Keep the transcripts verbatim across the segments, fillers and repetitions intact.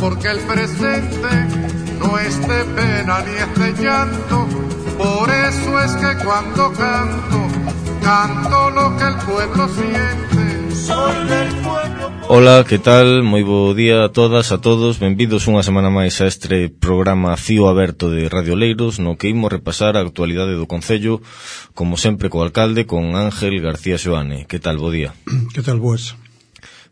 porque el presente no es de pena ni es de llanto. Por eso es que cuando canto, canto lo que el pueblo siente. Soy del pueblo. Ola, que tal? Moi bo día a todas, a todos. Benvidos unha semana máis a este programa Fío Aberto de Radio Leiros, no que imos repasar a actualidade do Concello, como sempre co alcalde, con Ángel García Xoane. Que tal? Bo día. Que tal, boas?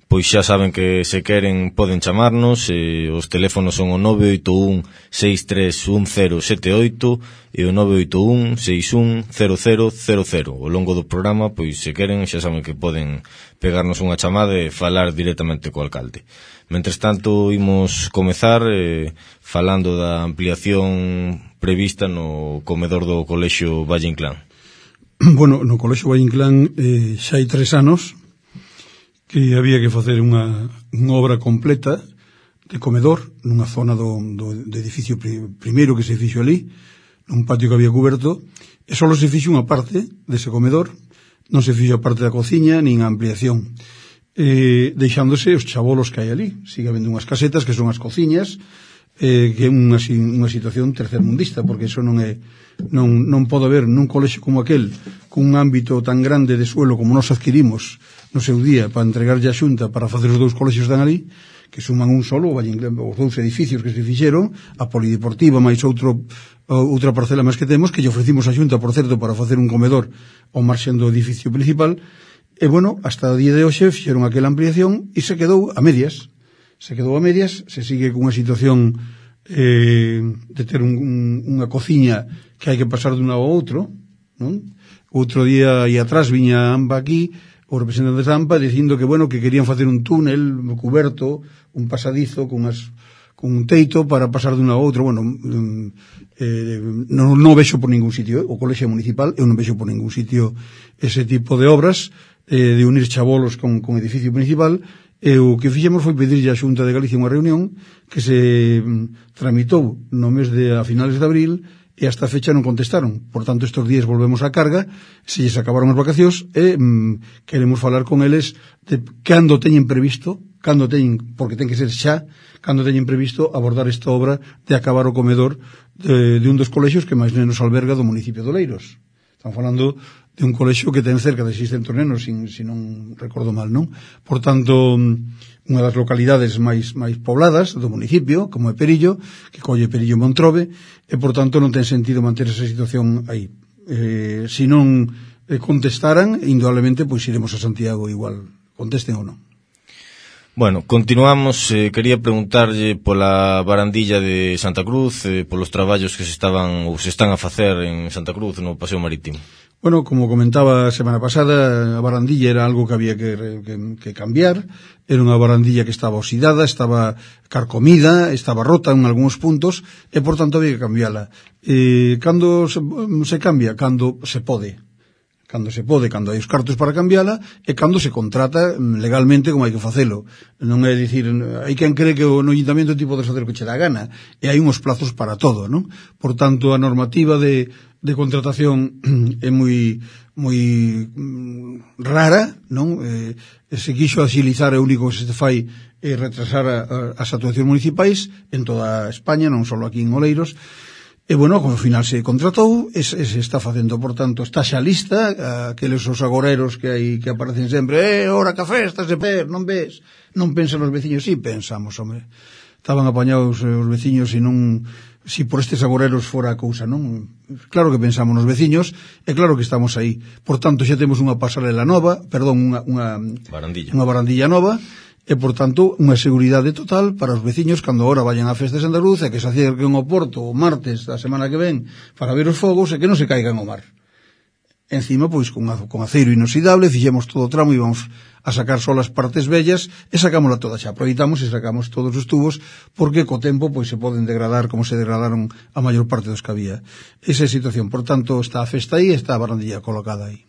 Pois xa saben que se queren poden chamarnos, eh, os teléfonos son o nove oito un seis tres un cero sete oito e o nove oito un seis un cero cero cero cero. Ao longo do programa, pois se queren, xa saben que poden pegarnos unha chamada e falar directamente co alcalde. Mentres tanto, imos comezar eh, falando da ampliación prevista no comedor do Colexio Valle Inclán. Bueno, no Colexio Valle Inclán eh, xa hai tres anos que había que facer unha, unha obra completa de comedor nunha zona do, do, do edificio pri, primeiro que se fixo ali, nun patio que había cuberto, e só se fixo unha parte dese comedor, non se fixo a parte da cociña nin a ampliación, eh, deixándose os chabolos que hai ali. Sigue habendo unhas casetas que son as cociñas, eh, que é unha, unha situación tercermundista, porque iso non é non, non pode haber nun colexio como aquel, cun ámbito tan grande de suelo como nos adquirimos no seu día para entregarlle a Xunta para facer os dous colexios que están ali, que suman un solo, os dous edificios que se fixeron, a polideportiva máis outro, outra parcela máis que temos, que lle ofrecimos a Xunta, por certo, para facer un comedor ao marxen do edificio principal, e bueno, hasta o día de hoxe fixeron aquela ampliación e se quedou a medias. Se quedou a medias, se sigue cunha situación eh, de ter un, un, unha cociña que hai que pasar de un lado ao outro, non? Outro día e atrás viña Amba aquí, o representante de Zampa, dicindo que, bueno, que querían facer un túnel cuberto, un pasadizo con, as, con un teito para pasar de un a outro. Bueno, eh, non, non vexo por ningún sitio, eh? O colexio municipal, eu non vexo por ningún sitio ese tipo de obras, eh, de unir chabolos con, con edificio principal, e o que fixemos foi pedirlle á Xunta de Galicia unha reunión que se mm, tramitou no mes de a finales de abril, e hasta a fecha non contestaron. Por tanto, estes días volvemos á carga, se lles acabaron as vacacións, e mmm, queremos falar con eles de cando teñen previsto, cando teñen, porque ten que ser xa, cando teñen previsto abordar esta obra de acabar o comedor de, de un dos colexios que máis nenos alberga do municipio de Oleiros. Estamos falando de un colexio que ten cerca de seiscentos nenos, sin, si non recordo mal, non? Por tanto, unha das localidades máis máis pobladas do municipio, como é Perillo, que colle Perillo e Montrobe, e por tanto non ten sentido manter esa situación aí. Eh, se non eh, contestaran, indudablemente, pois iremos a Santiago igual, contesten ou non. Bueno, continuamos. Eh, quería preguntarlle pola barandilla de Santa Cruz, eh, polos traballos que se estaban ou se están a facer en Santa Cruz no Paseo Marítimo. Bueno, como comentaba a semana pasada, a barandilla era algo que había que, que, que cambiar. Era unha barandilla que estaba oxidada, estaba carcomida, estaba rota en algúns puntos, e por tanto había que cambiala. E cando se, se cambia? Cando se pode. Cando se pode, cando hai os cartos para cambiala, e cando se contrata legalmente como hai que facelo. Non é dicir, hai quen cree que o no ayuntamiento ti podes facer o que che dá gana, e hai uns plazos para todo, non? Por tanto, a normativa de, de contratación é moi moi mm, rara, non? Eh, se quixo agilizar, é o único que se fai é retrasar a, a, as actuacións municipais en toda España, non só aquí en Oleiros. E, bueno, como ao final se contratou, e se, se está facendo, por tanto, está xa lista, aqueles os agoreros que hai que aparecen sempre, eh, ora que festa se per, non ves? Non pensan os veciños? Sí, pensamos, home. Estaban apañados os veciños e non, si por estes agoreros fora a cousa, non? Claro que pensamos nos veciños, e claro que estamos aí. Por tanto, xa temos unha pasarela nova, perdón, unha, unha barandilla, unha barandilla nova, e, por tanto, unha seguridade total para os veciños cando ahora vayan á festa de Santa Cruz e que se acerquen ao Porto o martes da semana que ven para ver os fogos e que non se caigan ao mar. Encima, pois, con, con aceiro inoxidable, fixemos todo o tramo e vamos a sacar só as partes bellas e sacámosla toda xa. Aproveitamos e sacamos todos os tubos porque co tempo pois se poden degradar como se degradaron a maior parte dos que había. Esa é a situación. Por tanto, está a festa aí e está a barandilla colocada aí.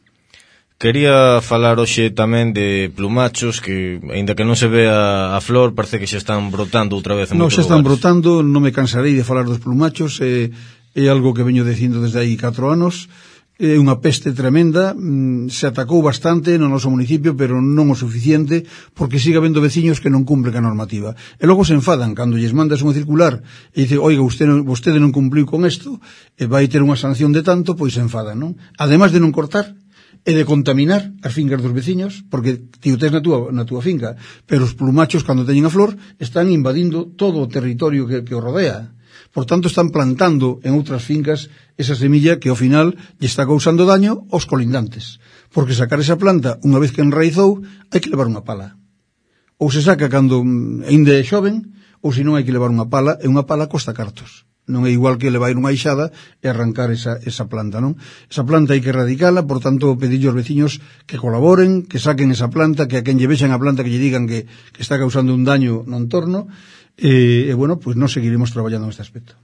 Quería falar hoxe tamén de plumachos que, aínda que non se vea a flor, parece que xa están brotando outra vez en non, moitos xa están lugares. brotando, non me cansarei de falar dos plumachos, é, é algo que veño dicindo desde aí catro anos, é unha peste tremenda, se atacou bastante no noso municipio, pero non o suficiente, porque sigue habendo veciños que non cumplen a normativa. E logo se enfadan cando lles mandas unha circular e dice, oiga, vostede, vostede non cumpliu con isto, e vai ter unha sanción de tanto, pois se enfadan, non? Ademais de non cortar, e de contaminar as fincas dos veciños, porque ti o tes na túa, na túa finca, pero os plumachos, cando teñen a flor, están invadindo todo o territorio que, que o rodea. Por tanto, están plantando en outras fincas esa semilla que ao final lle está causando daño aos colindantes. Porque sacar esa planta, unha vez que enraizou, hai que levar unha pala. Ou se saca cando ainda é xoven, ou se non hai que levar unha pala, e unha pala costa cartos. Non é igual que levar unha ixada e arrancar esa, esa planta, non? Esa planta hai que erradicala, por tanto, pedirlle aos veciños que colaboren, que saquen esa planta, que a quen lle vexan a planta que lle digan que, que está causando un daño no entorno. E, e bueno, pois pues nós seguiremos traballando neste aspecto.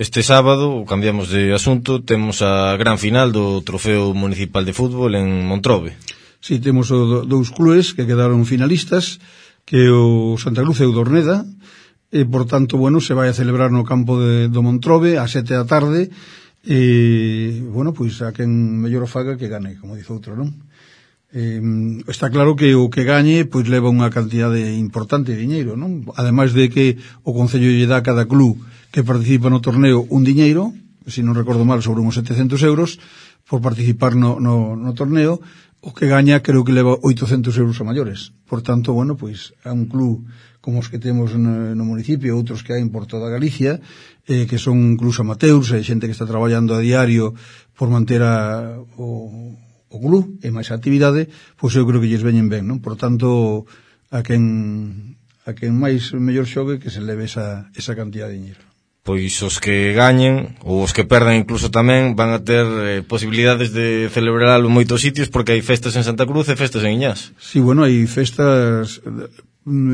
Este sábado, cambiamos de asunto, temos a gran final do Trofeo Municipal de Fútbol en Montrobe. Si, sí, temos o, dous clubes que quedaron finalistas, que o Santa Cruz e o Dorneda, e por tanto, bueno, se vai a celebrar no campo de, do Montrobe a sete da tarde, e, bueno, pois pues, a quen mellor o faga que gane, como dice outro, non? Eh, está claro que o que gañe pois leva unha cantidade importante de diñeiro, non? Ademais de que o Concello lle dá a cada club que participa no torneo un diñeiro, se non recordo mal, sobre uns setecentos euros por participar no, no, no torneo. O que gaña creo que leva oitocentos euros a maiores. Por tanto, bueno, pois a un club como os que temos no, no municipio, outros que hai por toda Galicia, eh, que son clubs amateurs, e xente que está traballando a diario por manter a, o o club e máis a actividade, pois eu creo que lles veñen ben, non? Por tanto, a quen a quen máis mellor xogue que se leve esa, esa cantidad de dinheiro. Pois os que gañen, ou os que perdan incluso tamén, van a ter eh, posibilidades de celebrarlo en moitos sitios, porque hai festas en Santa Cruz e festas en Iñás. Sí, bueno, hai festas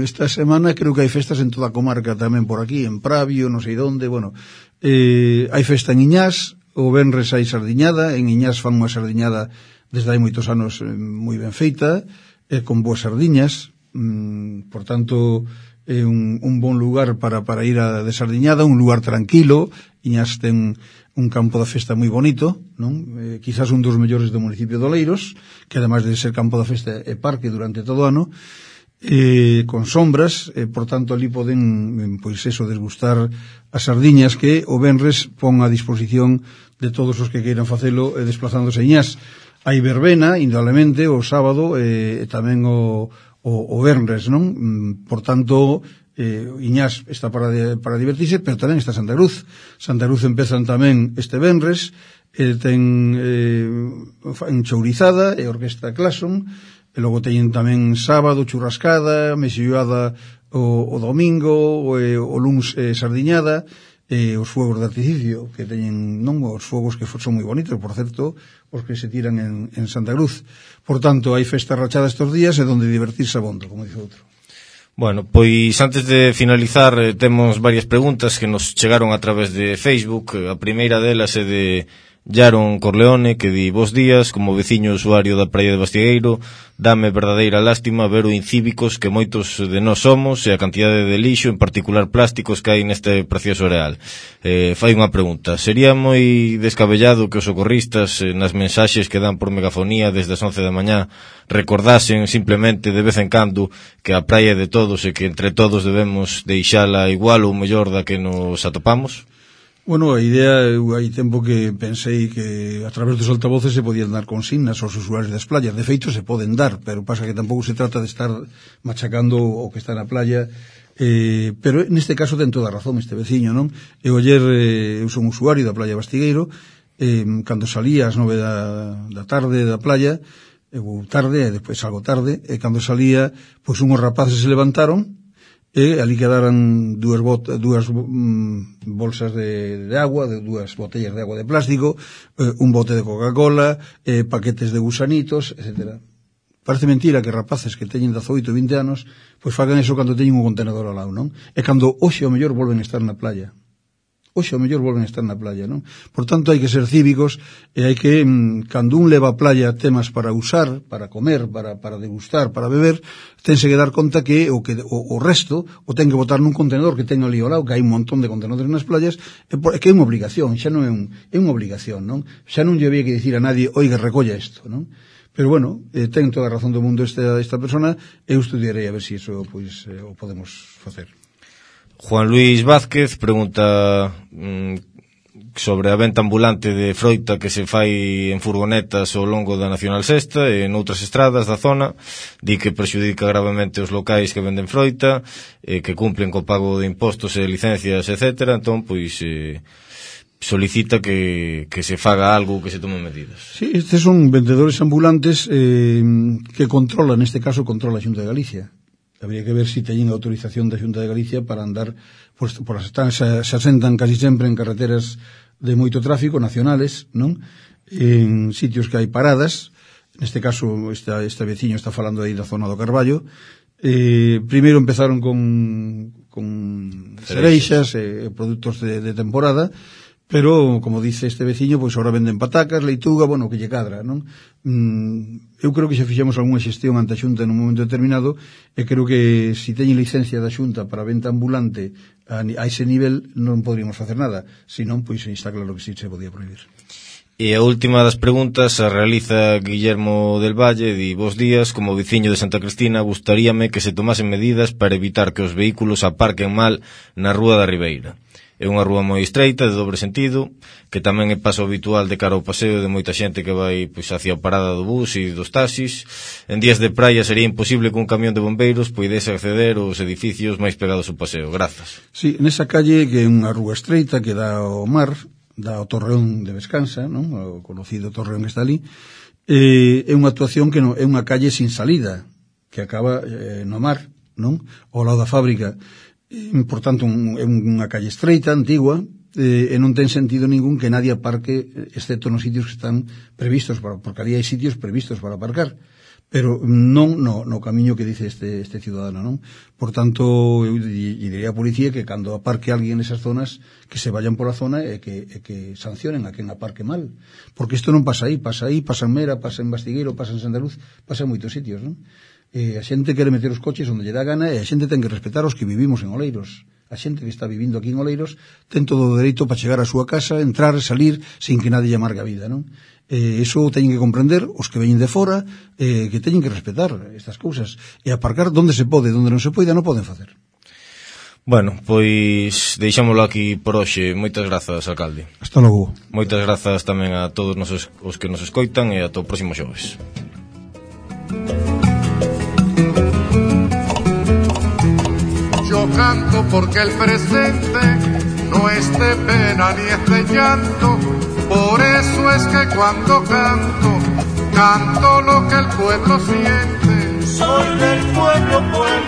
esta semana, creo que hai festas en toda a comarca tamén por aquí, en Pravio, non sei onde, bueno, eh, hai festa en Iñás, o venres hai sardiñada, en Iñás fan unha sardiñada desde hai moitos anos eh, moi ben feita, eh, con boas sardiñas, mm, por tanto, é eh, un, un bon lugar para, para ir a de sardiñada, un lugar tranquilo. Iñás ten un campo da festa moi bonito, non? Eh, quizás un dos mellores do municipio de Oleiros, que ademais de ser campo da festa é parque durante todo o ano, eh, con sombras, eh, por tanto, ali poden, pois eso, desgustar as sardiñas que o venres pon a disposición de todos os que queiran facelo eh, desplazándose a Iñás. Hai verbena, indudablemente, o sábado e eh, tamén o, o, o venres, non? Por tanto, eh, Iñás está para, de, para divertirse, pero tamén está Santa Cruz. Santa Cruz empezan tamén este venres, eh, ten eh, enchourizada e orquesta Clason, e logo teñen tamén sábado churrascada, mesilloada o, o domingo, o, o luns eh, sardiñada, e os fuegos de artificio que teñen, non, os fuegos que son moi bonitos, por certo, os que se tiran en, en Santa Cruz. Por tanto, hai festa rachada estes días e donde divertirse abondo, como dice outro. Bueno, pois antes de finalizar eh, temos varias preguntas que nos chegaron a través de Facebook. A primeira delas é de Yaron Corleone, que di: bos días, como veciño usuario da praia de Bastigueiro, dame verdadeira lástima ver o incívicos que moitos de nós somos e a cantidade de lixo, en particular plásticos, que hai neste precioso areal. Eh, fai unha pregunta: sería moi descabellado que os socorristas, eh, nas mensaxes que dan por megafonía desde as once da mañá, recordasen simplemente de vez en cando que a praia é de todos e que entre todos debemos deixala igual ou mellor da que nos atopamos? Bueno, a idea, eu hai tempo que pensei que a través dos altavoces se podían dar consignas aos usuarios das playas. De feito, se poden dar, pero pasa que tampouco se trata de estar machacando o que está na playa. Eh, pero neste caso ten toda a razón este veciño, non? Eu ayer, eh, eu son usuario da playa Bastigueiro, eh, cando salía ás nove da, da tarde da playa, eu tarde, e despois salgo tarde, e cando salía, pois unhos rapaces se levantaron, e ali quedaran dúas, bot, dúas mm, bolsas de, de agua, de dúas botellas de agua de plástico, eh, un bote de Coca-Cola, eh, paquetes de gusanitos, etcétera. Parece mentira que rapaces que teñen dezaoito, vinte anos, pois fagan eso cando teñen un contenedor ao lado, non? E cando hoxe o mellor volven a estar na playa. hoxe ao mellor volven a estar na playa, non? Por tanto, hai que ser cívicos e hai que, mm, cando un leva a playa temas para usar, para comer, para, para degustar, para beber, tense que dar conta que o, que, o, o resto o ten que botar nun contenedor que ten ali ao lado, que hai un montón de contenedores nas playas, e, por, é que é unha obligación, xa non é, un, é unha obligación, non? Xa non lle había que dicir a nadie, oiga, recolla isto, non? Pero bueno, eh, ten toda a razón do mundo esta, esta persona, eu estudiarei a ver se si iso pois, eh, o podemos facer. Juan Luis Vázquez pregunta mmm, sobre a venta ambulante de froita que se fai en furgonetas ao longo da Nacional Sexta e en outras estradas da zona. Di que perxudica gravemente os locais que venden froita, eh, que cumplen co pago de impostos e licencias, etcétera. Entón, pois, eh, solicita que, que se faga algo, que se tomen medidas. Sí, estes son vendedores ambulantes eh, que controla, neste caso, controla a Xunta de Galicia. Habría que ver se si teñen autorización da Xunta de Galicia para andar, pues, por as están, se, se asentan casi sempre en carreteras de moito tráfico, nacionales, non? En sitios que hai paradas, neste caso, esta, este veciño está falando aí da zona do Carballo. Eh, primeiro empezaron con, con cereixas e eh, produtos de, de temporada, pero, como dice este veciño, pois agora venden patacas, leituga, bueno, que lle cadra, non? Mm, eu creo que xa fixemos algunha xestión ante a Xunta nun momento determinado e creo que se si teñen licencia da Xunta para venta ambulante a, a ese nivel non poderíamos facer nada, senón, pois está claro que si se podía prohibir. E a última das preguntas a realiza Guillermo del Valle, di: bos días, como veciño de Santa Cristina, gustaríame que se tomasen medidas para evitar que os vehículos aparquen mal na Rúa da Ribeira. É unha rúa moi estreita, de dobre sentido, que tamén é paso habitual de cara ao paseo de moita xente que vai pois hacia a parada do bus e dos taxis. En días de praia sería imposible que un camión de bombeiros poidese acceder aos edificios máis pegados ao paseo. Grazas. Sí, nesa calle, que é unha rúa estreita que dá ao mar, dá ao Torreón de Vescansa, non? O conocido Torreón que está ali, eh, é unha actuación que non, é unha calle sin salida, que acaba eh, no mar, non? Ao lado da fábrica. Por tanto, un, é unha calle estreita, antigua, eh, e non ten sentido ningún que nadie aparque, excepto nos sitios que están previstos, para, porque ali hai sitios previstos para aparcar, pero non no, no camiño que dice este, este ciudadano, non? Por tanto, eu diría a policía que cando aparque alguén nesas zonas, que se vayan por a zona e que, e que sancionen a quen aparque mal, porque isto non pasa aí, pasa aí, pasa en Mera, pasa en Bastigueiro, pasa en Santa Luz, pasa en moitos sitios, non? Eh, a xente quere meter os coches onde lle dá gana e a xente ten que respetar os que vivimos en Oleiros. A xente que está vivindo aquí en Oleiros ten todo o dereito para chegar á súa casa, entrar, salir, sin que nadie lle amargue a vida, non? Eh, iso teñen que comprender os que veñen de fora, eh, que teñen que respetar estas cousas e aparcar donde se pode, donde non se poida non poden facer. Bueno, pois deixámoslo aquí por hoxe. Moitas grazas, alcalde. Hasta logo. Moitas grazas tamén a todos os, os que nos escoitan e ata o próximo xoves. Yo canto porque el presente no es de pena ni es de llanto, por eso es que cuando canto, canto lo que el pueblo siente. Soy del pueblo, pueblo.